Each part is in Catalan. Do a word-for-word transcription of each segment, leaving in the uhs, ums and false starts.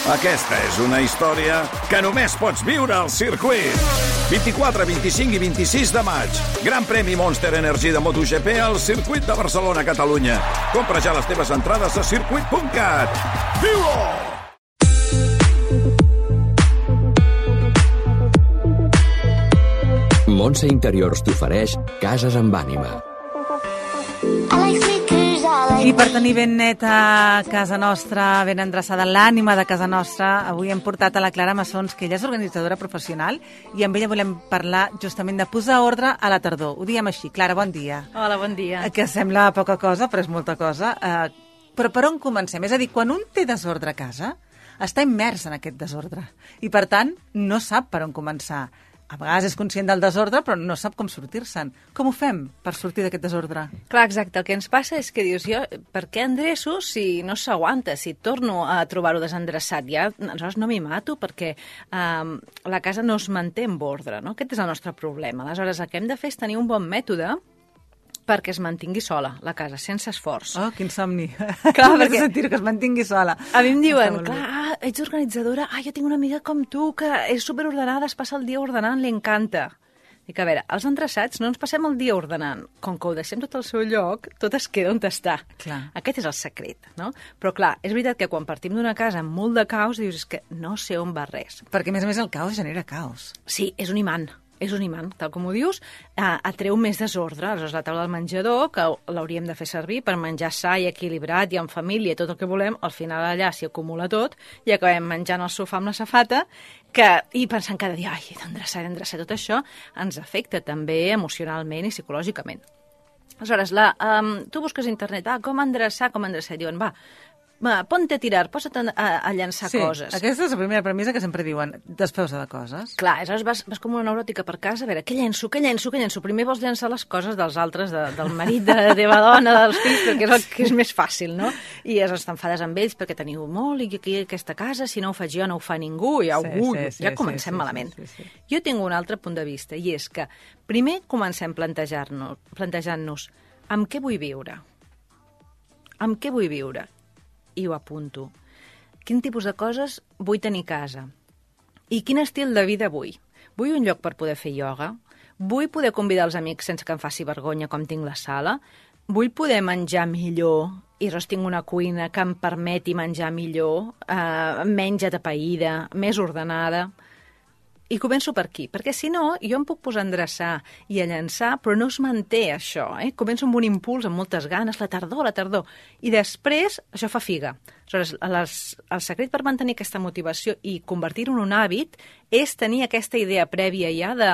Aquesta és una història que només pots viure al circuit. vint-i-quatre, vint-i-cinc i vint-i-sis de maig. Gran premi Monster Energy de MotoGP al circuit de Barcelona, Catalunya. Compra ja les teves entrades a circuit punt cat. Viu-ho! Montse Interiors t'ofereix Cases amb ànima. I per tenir ben neta casa nostra, ben endreçada l'ànima de casa nostra, avui hem portat a la Clara Massons, que ella és organitzadora professional, i amb ella volem parlar justament de posar ordre a la tardor. Ho diem així. Clara, bon dia. Hola, bon dia. Que sembla poca cosa, però és molta cosa. Uh, però per on comencem? És a dir, quan un té desordre a casa, està immers en aquest desordre. I, per tant, no sap per on començar. A vegades és conscient del desordre, però no sap com sortir-se'n. Com ho fem per sortir d'aquest desordre? Clar, exacte. El que ens passa és que dius, jo, per què endreço si no s'aguanta, si torno a trobar-ho desendreçat? Ja, aleshores no m'hi mato perquè um, la casa no es manté en ordre, no? Aquest és el nostre problema. Aleshores, el que hem de fer és tenir un bon mètode perquè es mantingui sola, la casa, sense esforç. Oh, quin somni. Clar, perquè... sentir que es mantingui sola. A mi em diuen, clar, ah, ets organitzadora, ah, jo tinc una amiga com tu que és superordenada, es passa el dia ordenant, li encanta. Dic, a veure, els endreçats no ens passem el dia ordenant. Com que ho deixem tot al seu lloc, tot es queda on està. Clar. Aquest és el secret, no? Però clar, és veritat que quan partim d'una casa amb molt de caos, dius, és que no sé on va res. Perquè, a més a més, el caos genera caos. Sí, és un imant. És un imant, tal com ho dius, eh, atreu més desordre. Aleshores, la taula del menjador, que l'hauríem de fer servir per menjar sa i equilibrat i en família, tot el que volem, al final allà s'hi acumula tot i acabem menjant al sofà amb la safata que, i pensant cada dia, ai, he d'endreçar, he d'endreçar, tot això ens afecta també emocionalment i psicològicament. Aleshores, la, um, tu busques a internet, ah, com endreçar, com endreçar, i diuen, va, Va, ponte a tirar, posa't a, a, a llançar sí, coses. Aquesta és la primera premissa que sempre diuen, desfeu-se de coses. Clar, aleshores vas, vas com una neuròtica per casa, a veure, què llenço, què llenço, què llenço? Primer vols llançar les coses dels altres, de, del marit, de la teva dona, dels fills, perquè és el que és més fàcil, no? I aleshores t'enfades amb ells perquè teniu molt, i aquí aquesta casa, si no ho faig jo, no ho fa ningú, i sí, ui, sí, sí, ja comencem sí, sí, malament. Sí, sí, sí. Jo tinc un altre punt de vista, i és que primer comencem plantejar-nos, plantejant-nos amb què vull viure? Amb què vull viure? I ho apunto. Quin tipus de coses vull tenir a casa? I quin estil de vida vull? Vull un lloc per poder fer ioga? Vull poder convidar els amics sense que em faci vergonya com tinc la sala? Vull poder menjar millor i aleshores tinc una cuina que em permeti menjar millor, eh, menys atapeïda, més ordenada? I començo per aquí, perquè si no, jo em puc posar a endreçar i a llançar, però no es manté això, eh? Començo amb un impuls, amb moltes ganes, la tardor, la tardor, i després això fa figa. Aleshores, les, el secret per mantenir aquesta motivació i convertir-ho en un hàbit és tenir aquesta idea prèvia ja de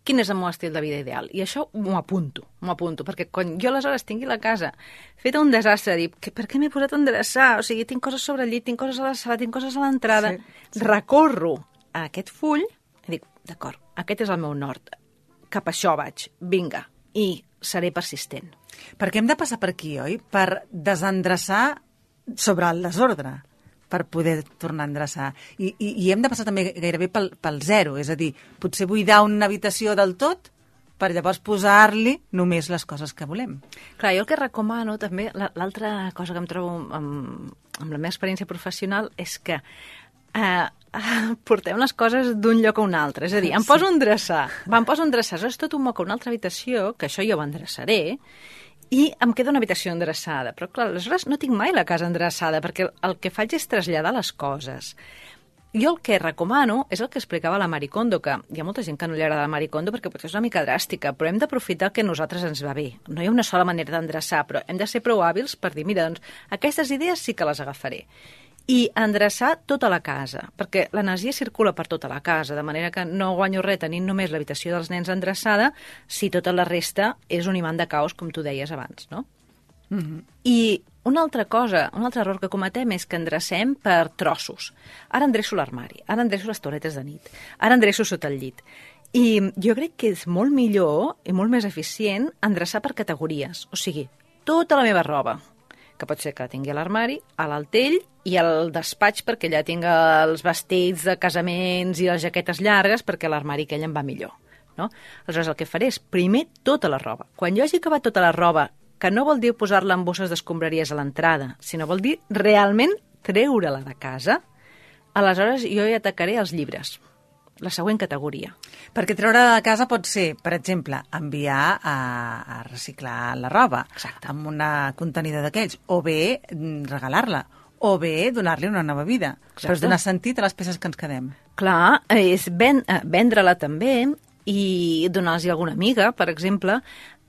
quin és el meu estil de vida ideal. I això m'ho apunto, m'ho apunto, perquè quan jo aleshores tingui la casa feta un desastre, dic, per què m'he posat a endreçar? O sigui, tinc coses sobre el llit, tinc coses a la sala, tinc coses a l'entrada, sí, sí. Recorro a aquest full i dic, d'acord, aquest és el meu nord, cap a això vaig, vinga, i seré persistent. Perquè hem de passar per aquí, oi? Per desendreçar sobre el desordre, per poder tornar a endreçar. I, i, i hem de passar també gairebé pel, pel zero, és a dir, potser buidar una habitació del tot per llavors posar-li només les coses que volem. Clar, jo el que recomano també, l'altra cosa que em trobo amb, amb la meva experiència professional és que eh, portem les coses d'un lloc a un altre. És a dir, em poso a endreçar, em poso a endreçar, és tot un moc a una altra habitació, que això jo ho endreçaré, i em queda una habitació endreçada. Però, clar, aleshores no tinc mai la casa endreçada, perquè el que faig és traslladar les coses. Jo el que recomano és el que explicava la Marie Kondo, que hi ha molta gent que no li agrada la Marie Kondo perquè potser és una mica dràstica, però hem d'aprofitar el que a nosaltres ens va bé. No hi ha una sola manera d'endreçar, però hem de ser prou hàbils per dir, mira, doncs, aquestes idees sí que les agafaré. I endreçar tota la casa, perquè l'energia circula per tota la casa, de manera que no guanyo res tenint només l'habitació dels nens endreçada si tota la resta és un imant de caos, com tu deies abans, no? Mm-hmm. I una altra cosa, un altre error que cometem és que endrecem per trossos. Ara endreço l'armari, ara endreço les toaletes de nit, ara endreço sota el llit. I jo crec que és molt millor i molt més eficient endreçar per categories, o sigui, tota la meva roba, que pot ser que la tingui a l'armari, a l'altell i al despatx perquè allà tinc els vestits de casaments i les jaquetes llargues perquè l'armari aquell em va millor. No? Aleshores, el que faré és primer tota la roba. Quan jo hagi acabat tota la roba, que no vol dir posar-la en bosses d'escombraries a l'entrada, sinó vol dir realment treure-la de casa, aleshores jo hi atacaré els llibres, la següent categoria. Perquè treure de casa pot ser, per exemple, enviar a, a reciclar la roba. Exacte. Amb una contenidor d'aquells, o bé regalar-la, o bé donar-li una nova vida. Exacte. Però és donar sentit a les peces que ens quedem. Clar, és ven, vendre-la també i donar-los a alguna amiga, per exemple.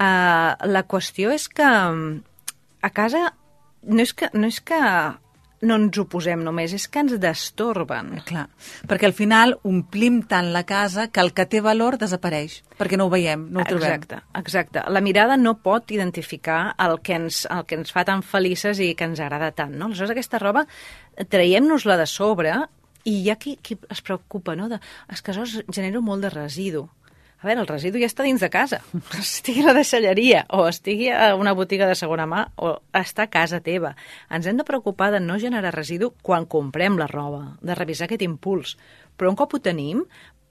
Uh, la qüestió és que a casa no és que, no és que no ens ho posem només, és que ens destorben. Clar, perquè al final omplim tant la casa que el que té valor desapareix, perquè no ho veiem, no ho trobem. Exacte, exacte. La mirada no pot identificar el que ens, el que ens fa tan felices i que ens agrada tant, no? Aleshores, aquesta roba, traiem-nos-la de sobre i hi ha qui, qui es preocupa, no? De, és que això genera molt de residu. A veure, el residu ja està dins de casa. Estigui a la deixalleria, o estigui a una botiga de segona mà, o està a casa teva. Ens hem de preocupar de no generar residu quan comprem la roba, de revisar aquest impuls. Però un cop ho tenim,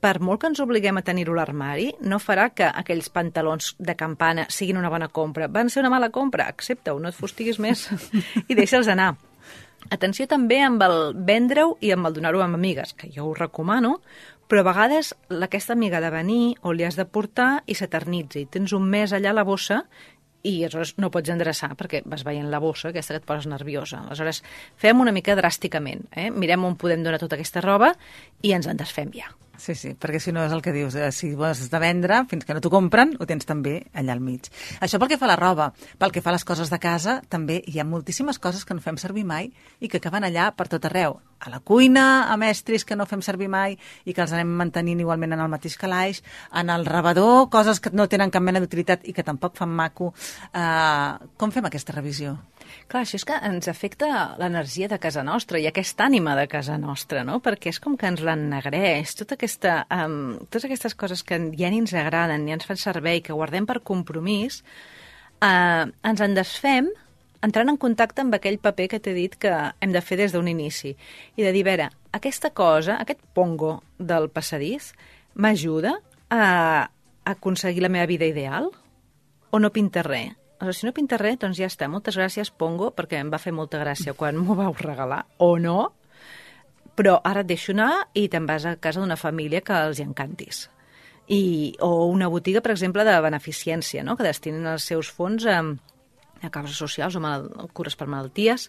per molt que ens obliguem a tenir-ho a l'armari, no farà que aquells pantalons de campana siguin una bona compra. Van ser una mala compra, accepta-ho, no et fustiguis més i deixa'ls anar. Atenció també amb el vendre-ho i amb el donar-ho amb amigues, que jo ho recomano, però a vegades aquesta amiga ha de venir o li has de portar i s'eternitza i tens un mes allà a la bossa i aleshores no pots endreçar perquè vas veient la bossa, aquesta que et poses nerviosa. Aleshores, fem una mica dràsticament. Eh? Mirem on podem donar tota aquesta roba i ens en desfem ja. Sí, sí, perquè si no és el que dius, eh, si vols de vendre, fins que no t'ho compren, ho tens també allà al mig. Això pel que fa a la roba. Pel que fa a les coses de casa, també hi ha moltíssimes coses que no fem servir mai i que acaben allà per tot arreu. A la cuina, amb estris que no fem servir mai i que els anem mantenint igualment en el mateix calaix, en el rebedor, coses que no tenen cap mena d'utilitat i que tampoc fan maco. Uh, com fem aquesta revisió? Clar, això és que ens afecta l'energia de casa nostra i aquesta ànima de casa nostra, no? Perquè és com que ens l'ennegreix, tota aquesta, um, totes aquestes coses que ja ni ens agraden, ni ens fan servei, que guardem per compromís, uh, ens en desfem entrant en contacte amb aquell paper que t'he dit que hem de fer des d'un inici. I de dir, a veure, aquesta cosa, aquest pongo del passadís, m'ajuda a aconseguir la meva vida ideal o no pinta res? Aleshores, si no pinta res, doncs ja està. Moltes gràcies, Pongo, perquè em va fer molta gràcia quan m'ho vau regalar, o no, però ara et deixo anar i te'n vas a casa d'una família que els hi encantis. I, o una botiga, per exemple, de beneficència, no? Que destinen els seus fons a, a causes socials o mal, cures per malalties,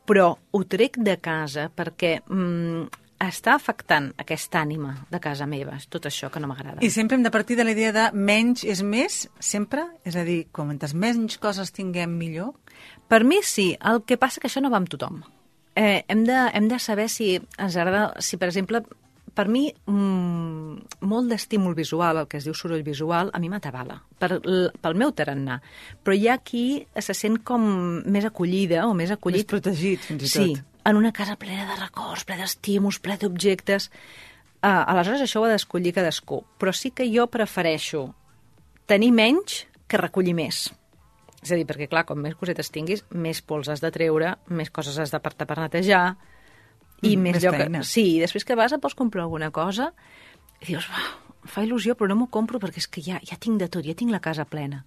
però ho trec de casa perquè mm, està afectant aquesta ànima de casa meva, tot això que no m'agrada. I sempre hem de partir de la idea de menys és més, sempre? És a dir, quantes menys coses tinguem, millor? Per mi sí, el que passa que això no va amb tothom. Eh, hem, de, hem de saber si ens agrada, si per exemple, per mi mmm, molt d'estímul visual, el que es diu soroll visual, a mi m'atabala, per, pel meu tarannà. Però hi ha qui se sent com més acollida o més acollit. Més protegit, fins i tot. Sí, en una casa plena de records, plena d'estímuls, plena d'objectes. Uh, aleshores, això ho ha d'escollir cadascú. Però sí que jo prefereixo tenir menys que recollir més. És a dir, perquè, clar, com més cosetes tinguis, més pols has de treure, més coses has d'apartar per netejar, i mm, més, més lloc... Que... Sí, i després que vas, et pots comprar alguna cosa i dius, em fa il·lusió, però no m'ho compro perquè és que ja, ja tinc de tot, ja tinc la casa plena.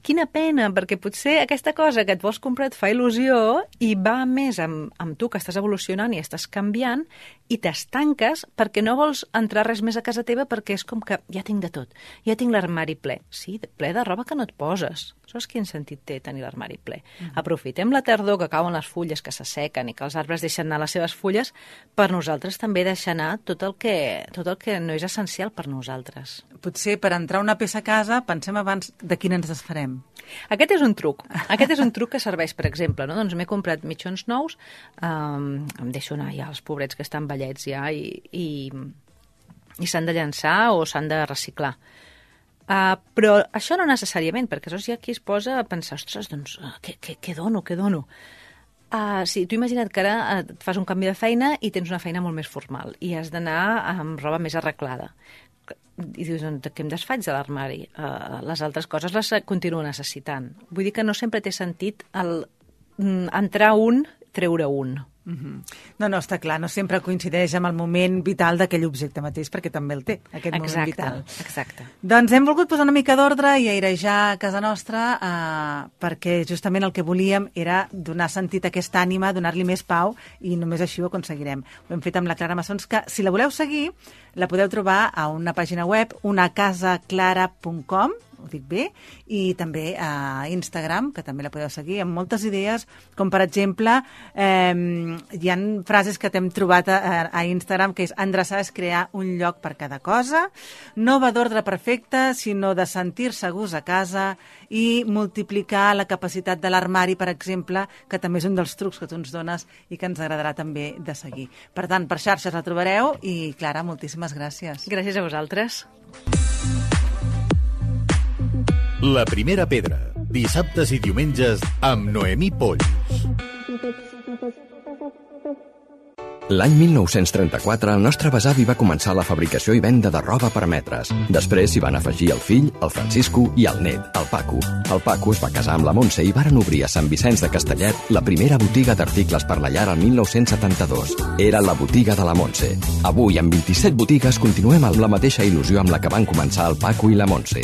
Quina pena, perquè potser aquesta cosa que et vols comprar et fa il·lusió i va més amb, amb tu, que estàs evolucionant i estàs canviant, i t'estanques perquè no vols entrar res més a casa teva perquè és com que ja tinc de tot, ja tinc l'armari ple. Sí, ple de roba que no et poses. Saps quin sentit té tenir l'armari ple? Mm-hmm. Aprofitem la tardor que cauen les fulles, que s'assequen i que els arbres deixen anar les seves fulles, per nosaltres també deixar anar tot el que, tot el que no és essencial per nosaltres. Potser per entrar una peça a casa pensem abans de quina ens desfarem. Aquest és un truc. Aquest és un truc que serveix, per exemple, no? Doncs m'he comprat mitjons nous, um, em deixo anar ja els pobrets que estan vellets ja i, i, i s'han de llançar o s'han de reciclar. Uh, però això no necessàriament, perquè aleshores hi ha qui es posa a pensar, ostres, doncs, uh, què, què, què dono, què dono? Uh, sí, tu imagina't que ara uh, et fas un canvi de feina i tens una feina molt més formal i has d'anar amb roba més arreglada. I dius, doncs, què em desfaig de l'armari? Uh, les altres coses les continuo necessitant. Vull dir que no sempre té sentit el, mm, entrar un, treure un. Mm-hmm. No, no, està clar, no sempre coincideix amb el moment vital d'aquell objecte mateix, perquè també el té, aquest exacte, moment vital. Exacte. Doncs hem volgut posar una mica d'ordre i airejar a casa nostra eh, perquè justament el que volíem era donar sentit a aquesta ànima, donar-li més pau, i només així ho aconseguirem. Ho hem fet amb la Clara Massons, que si la voleu seguir, la podeu trobar a una pàgina web, una casa clara punt com, ho dic bé, i també a Instagram, que també la podeu seguir, amb moltes idees, com per exemple, eh, hi ha frases que t'hem trobat a, a Instagram, que és endreçar és crear un lloc per cada cosa, no va d'ordre perfecte, sinó de sentir-se a gust a casa, i multiplicar la capacitat de l'armari, per exemple, que també és un dels trucs que tu ens dones i que ens agradarà també de seguir. Per tant, per xarxes la trobareu, i Clara, moltíssimes gràcies. Gràcies a vosaltres. La primera pedra, dissabtes i diumenges amb Noemí Polls. L'any mil nou-cents trenta-quatre, el nostre besavi va començar la fabricació i venda de roba per metres. Després s'hi van afegir el fill, el Francisco, i el net, el Paco. El Paco es va casar amb la Montse i varen obrir a Sant Vicenç de Castellet la primera botiga d'articles per la llar el mil nou-cents setanta-dos. Era la botiga de la Montse. Avui, amb vint-i-set botigues, continuem amb la mateixa il·lusió amb la que van començar el Paco i la Montse.